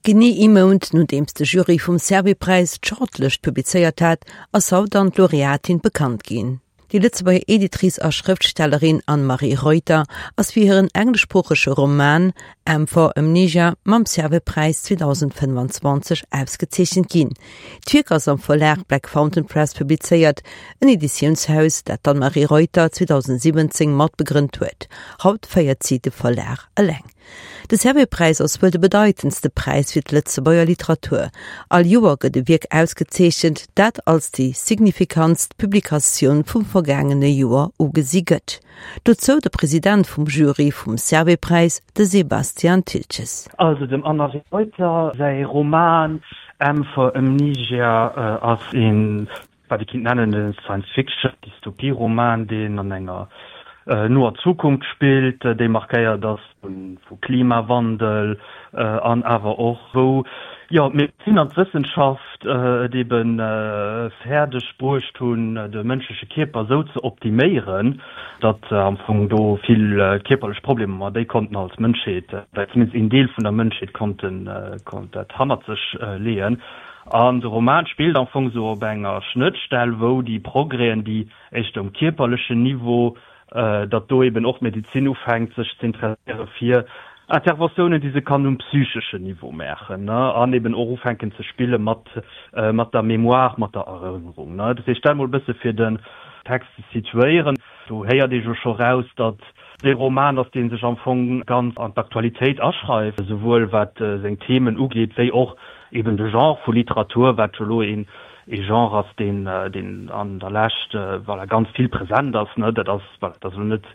Genee ee Mount nodeems de Jury vum Servais-Präis d'Shortlëscht publizéiert hat, ass haut dann d'Laureatin bekannt ginn. Déi Lëtzebuerger Editrice a Schrëftstellerin Anne-Marie Reuter ass fir hiren engleschsproochege Roman M for Amnesia mam Servais-Präis 2025 ausgezeechent ginn. D'Wierk ass am Verlag Black Fountain Press publizéiert, en Editiounshaus, dat d'Anne-Marie Reuter 2017 matbegrënnt huet. Haut féiert si de Verlag eleng. De Servais-Präis ass wuel de bedeitendste Präis fir d'Lëtzebuerger Literatur. All Joer gëtt e Wierk ausgezeechent, dat als déi signifikantst Publikatioun vum vergaangene Joer ugesi gëtt. Dozou de President vum Jury vum Servais-Präis, de Sebastian Thiltges. Also dem Anne-Marie Reuter säi Roman M for Amnesia ass een wat ee kinnt nennen e Science-Fiction-Dystopie-Roman, deen an enger noer Zukunft spillt, déi markéiert ass vu Klimawandel an awer och wou, jo, d'Medezin an d'Wëssenschaft et ebe fäerdeg bruecht hunn, de mënschleche Kierper esou ze optiméieren, datt am Fong do vill kierperlech Problemer, ma déi konnten als Mënschheet, oder zumindest een Deel vun der Mënschheet konnten dat hannert sech leeën. An de Roman spillt am Fong esou op enger Schnëttstell, wou déi Progrèsen, déi éischter um kierperlechen Niveau, datt do eben och d'Medezin ufänkt sech ze interesséiere fir Interventiounen, déi se kann um psycheschen Niveau maachen, ne, an eben och ufänken ze spille mat mat der Mémoire, mat der Erënnerung, ne. Dat heescht, dat emol e bësse fir den Text ze situéieren. Do héiert ee jo scho raus, datt et e Roman ass, dee sech am Fong ganz an d'Aktualitéit aschreift, esouwuel wat seng Themen ugeet, wéi och eben de Genre vu Literatur, wat jo elo een ee Genre ass, deen deen an der Lescht, voilà, ganz vill present ass, ne. Dat ass, voilà, dat ass elo net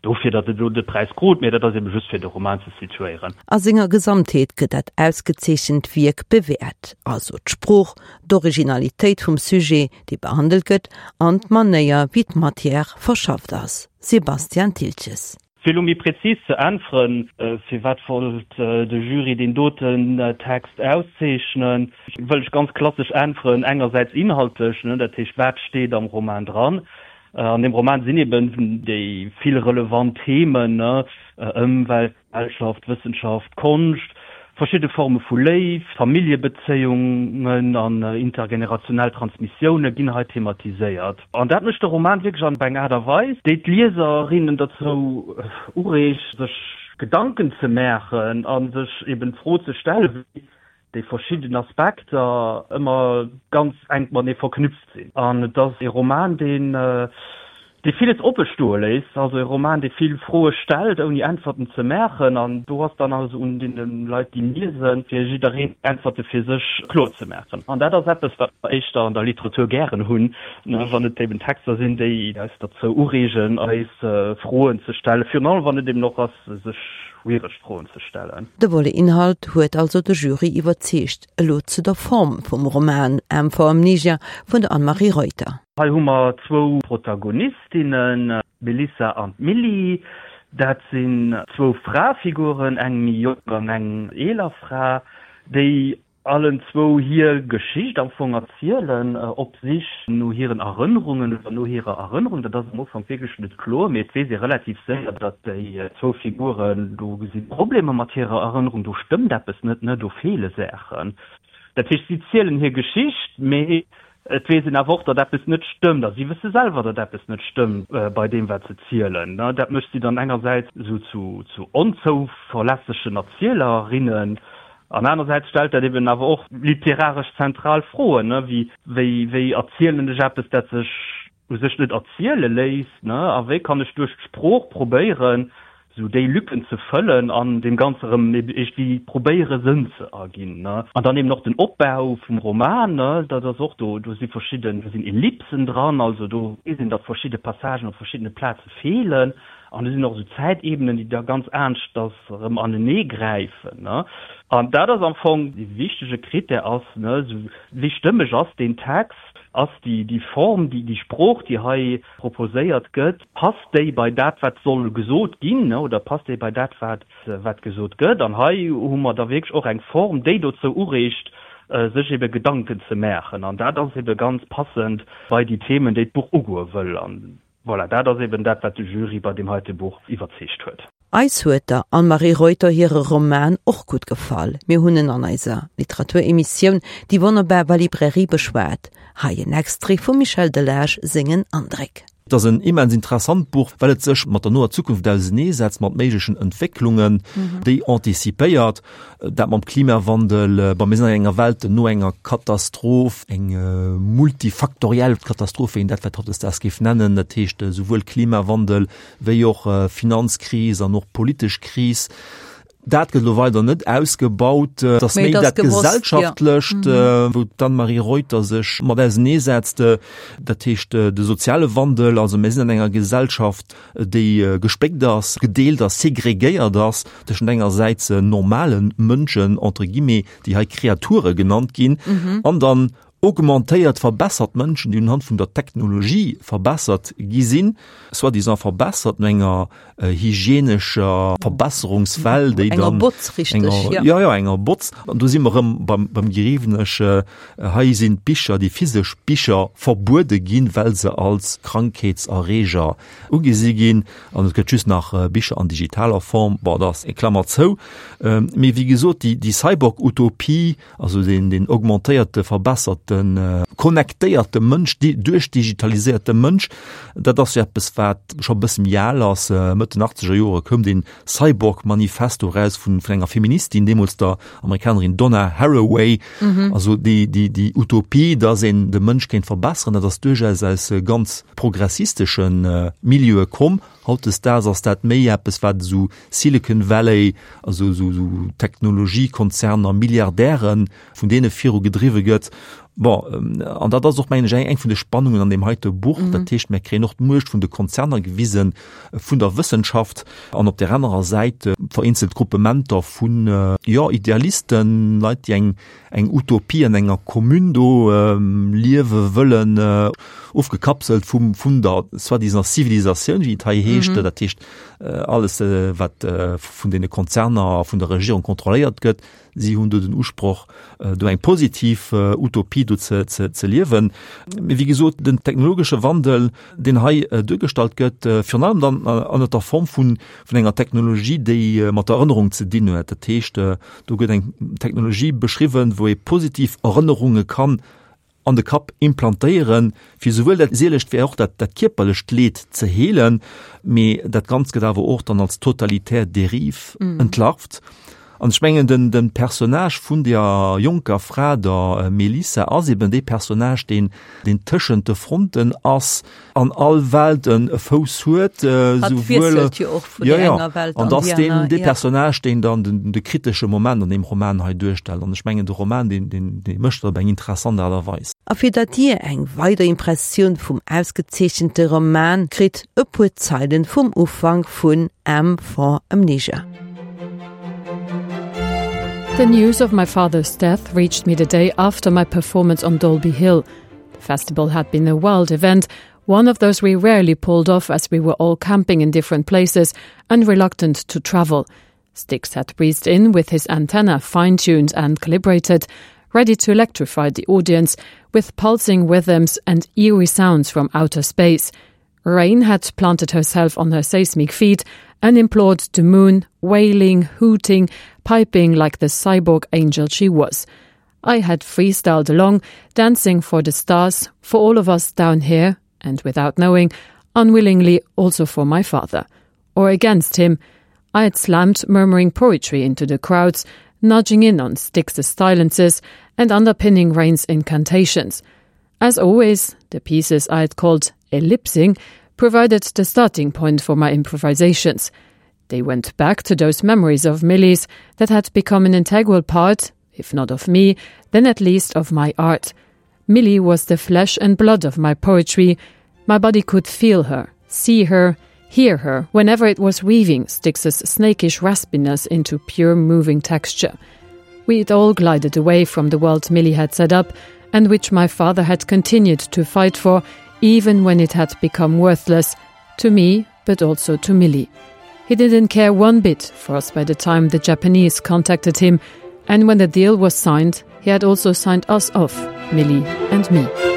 dofir, datt et elo de Präis krut, mä dat ass ebe just fir de Roman ze situéieren. A senger Gesamtheet gëtt dat ausgezeechent Wierk bewäert, also d'Sprooch, d'Originalitéit vum Sujet, dee behandelt gëtt, an d'Manéier, wéi d'Matière verschafft ass. Sebastian Thiltges. Fir elo méi präzis ze äntweren, firwat wollt de Jury deen doten Text auszeechnen, wëll ech ganz klassesch äntweren, engersäits inhaltlech, dat heescht, wat steet am Roman dran? An deem Roman sinn eben déi vill relevant Themen, Ëmwelt, Gesellschaft, Wëssenschaft, Konscht, verschidde Forme vu Léift, Familljebezéiungen an intergenerationell Transmissioune ginn hei thematiséiert. An dat mécht de Roman wierklech an eng Aart a Weis, déi d'Lieserinnen dozou ureegt, sech Gedanken ze maachen a sech eben d'Fro ze stellen, wéi déi verschidden Aspekter ëmmer ganz enk matenee verknüpft sinn. An et ass ee Roman, deen, dee villes oppe stoe léisst, also e Roman, dee vill Froe stellt, ouni Äntwerten ze maachen. An do ass dann also un deene Leit, déi liesen, fir jiddereen d'Äntwerte fir sech kloer ze maachen. An dat ass eppes, wat mer éischter an der Literatur gären hunn, wann et eben Texter sinn, déi eis derzou ureegen, eis Froen ze stellen, virun allem wann et eben och ass, sech schwiereg Froen ze stellen. De Volet Inhalt huet also de Jury iwwerzeegt. Elo zu der Form vum Roman M for Amnesia vun der Anne-Marie Reuter. Hei hu mer zwou Protagonistinnen, d'Melissa an d'Milly. Dat sinn zwou Frafiguren, eng méi jonk an eng eeler Fra, déi allen zwou hir Geschicht am Fong erzielen, op Sich no hiren Erënnerungen oder no hirer Erënnerung. Dat ass am Ufank wierklech net kloer, mee et weess ee relativ séier, datt déi zwou Figuren, do si Problemer mat hirer Erënnerung, do stëmmt eppes net, ne, do feele Saachen. Dat heescht, si zielen hir Geschicht, mee et weess een awer och, datt eppes net stëmmt a si wësse selwer, datt eppes net stëmmt bei deem, wat se zielen. Dat mécht si dann engersäits esou zu onzouverlässegen Erzielerinnen An anersäits stellt dat eben awer och literaresch zentral Froen, wéi, wéi, wéi erzielen ech eppes, dat sech u sech net erziele léisst, a wéi kann ech duerch d'Sprooch probéieren, esou déi Lücken ze fëllen an deem Ganze erëm iergendwéi probéiere Sënn ze erginn. An dann eben och den Opbau vum Roman, dat ass och do, do si verschidden, do sinn Ellipsen dran, also do weess een, datt verschidde Passagen op verschiddene Plaze feelen. An do sinn och esou Zäitebenen, déi da ganz aneschters erëm anenee gräifen. An dat ass am Fong dee wichtege Critère ass, esou wéi stëmmeg ass deen Text, ass déi déi Form, déi déi Sprooch, déi hei proposéiert gëtt, passt déi bei dat, wat soll gesot ginn, oder passt déi bei dat, wat wat gesot gëtt. An hei hu mer da wierklech och eng Form, déi dozou ureegt, sech ebe Gedanken ze maachen. An dat ass ebe ganz passend bei déi Themen, déi d'Buch ugoe wëll. Voilà, dat ass eben dat, wat de Jury bei deem heite Buch iwwerzeegt huet. Eis huet der Anne-Marie Reuter hire Roman och gutt gefall. Mir hunn en an eiser Literaturemissioun Déi wonnerbar Librairie beschwat. Hei en Extrait vum Michel Delage sengen Andréck. Et ass en immens interessant Buch, well et sech mat der noer Zukunft auseneesetzt, mat méiglechen Entwécklungen, déi antizipéiert. Dat mam Klimawandel, bon, mir sinn an enger Welt no enger Katastroph, eng multifaktoriell Katastroph, wéi een dat vläicht hautdesdaags géif nennen, dat heescht esouwuel Klimawandel wéi och Finanzkris an och politesch Kris. Dat gëtt elo weider net ausgebaut. Et ass méi dat Gesellschaftlecht, wou d'Anne-Marie Reuter sech mat auseneesetzt, dat heescht de soziale Wandel. Also mir sinn an enger Gesellschaft, déi gespléckt ass, gedeelt ass, segregéiert ass tëschent engersäits normale Mënschen, entre guillemets, déi hei Kreature genannt ginn, an dann Augmentéiert, verbessert Mënschen, déi unhand vun der Technologie verbessert gi sinn, soi-disant verbessert, no enger hygienescher Verbesserungswell, déi dann. Enger Botz, richteg, jo. Jo, jo, enger Botz. An do si mer erëm beim, beim Geriwenesch. Hei sinn d'Bicher, déi physesch Bicher verbuede ginn, well se als Krankheetserreeger ugesi ginn. An et gëtt just nach Bicher an digitaler Form. Bon, dat ass eng Klammer zou. Mee wéi gesot, déi, déi Cyborg-Utopie, Also deen, deen augmentéierte, verbesserten, connectéierte Mënsch, duerchdigitaliséierte Mënsch, dat ass jo eppes, wat scho e bësse méi al ass. Mëtt den achtzeger Jore koum dee Cyborg-Manifesto eraus vun, vun enger Feministin, deemools der Amerikanerin Donna Haraway. Also déi, déi, déi Utopie, dass een de Mënsch kéint verbesseren, dat ass duerchaus aus ganz progressistesche Milieue komm. Hautdesdaags ass dat méi eppes, wat esou Silicon Valley, also esou Technologiekonzerner, Milliardären, vun deene viru gedriwwe gëtt. Bon, an dat ass och, mengen ech, eng vun de Spannungen an deem heite Buch. Dat heescht, mir kréien och d'Muecht vun de Konzerner gewisen, vun der Wëssenschaft an op där anerer Säit vereenzelt Gruppementer vun, jo, Idealisten, Leit, déi eng eng Utopie an enger Commune do liewe wëllen, ofgekapselt vum, vun der soi-disant Zivilisatioun, wéi et hei heescht. Mm -hmm. Dat heescht, alles, wat vun deene Konzerner a vun der Regierung kontrolléiert gëtt. Si hunn do den Usproch, do eng positiv Utopie do ze, ze, ze liewen. Mee wéi gesot, den technologesche Wandel, deen hei duergestallt gëtt, virun allem dann an der Form vun, vun enger Technologie, déi mat der Erënnerung ze dinn huet. Dat heescht, do gëtt eng Technologie beschriwwen, wou ee positiv Erënnerunge kann an de Kapp implantéieren, fir souwuel dat seelescht wéi och dat, dat kierperlecht Leed ze heelen. Mee dat Ganzt gëtt awer och dann als totalitär Derive entlarvt. An ech mengen, den, den Personnage vun der jonker Fra, der Melissa, ass eben dee Personnage, deen, deen tëschent de Fronten ass, an all Welt en e Fouss huet, Hatt wiesselt jo och vun ja, der ja. enger Welt an an déi déi deen, aner. dee Ja. Personnage, deen dann den, de kritesche Moment an deem Roman hei duerstellt. An ech mengen, de Roman, deen, deen, dee mécht dat op eng interessant Aart a Weis. A fir datt Dir eng weider Impressioun vum ausgezeechente Roman kritt, e puer Zeilen vum Ufank vun M for Amnesia. The news of my father's death reached me the day after my performance on Dolby Hill. The festival had been a wild event, one of those we rarely pulled off as we were all camping in different places and reluctant to travel. Styx had breezed in with his antenna fine-tuned and calibrated, ready to electrify the audience with pulsing rhythms and eerie sounds from outer space. Rain had planted herself on her seismic feet and implored the moon, wailing, hooting, piping like the cyborg angel she was. I had freestyled along, dancing for the stars, for all of us down here, and without knowing, unwillingly also for my father. Or against him. I had slammed murmuring poetry into the crowds, nudging in on Styx's silences and underpinning Rain's incantations. As always, the pieces I had called ellipsing provided the starting point for my improvisations. They went back to those memories of Millie's that had become an integral part, if not of me, then at least of my art. Millie was the flesh and blood of my poetry. My body could feel her, see her, hear her whenever it was weaving Styx's snakish raspiness into pure moving texture. We had all glided away from the world Millie had set up and which my father had continued to fight for, even when it had become worthless, to me, but also to Millie. He didn't care one bit for us by the time the Japanese contacted him, and when the deal was signed, he had also signed us off, Millie and me.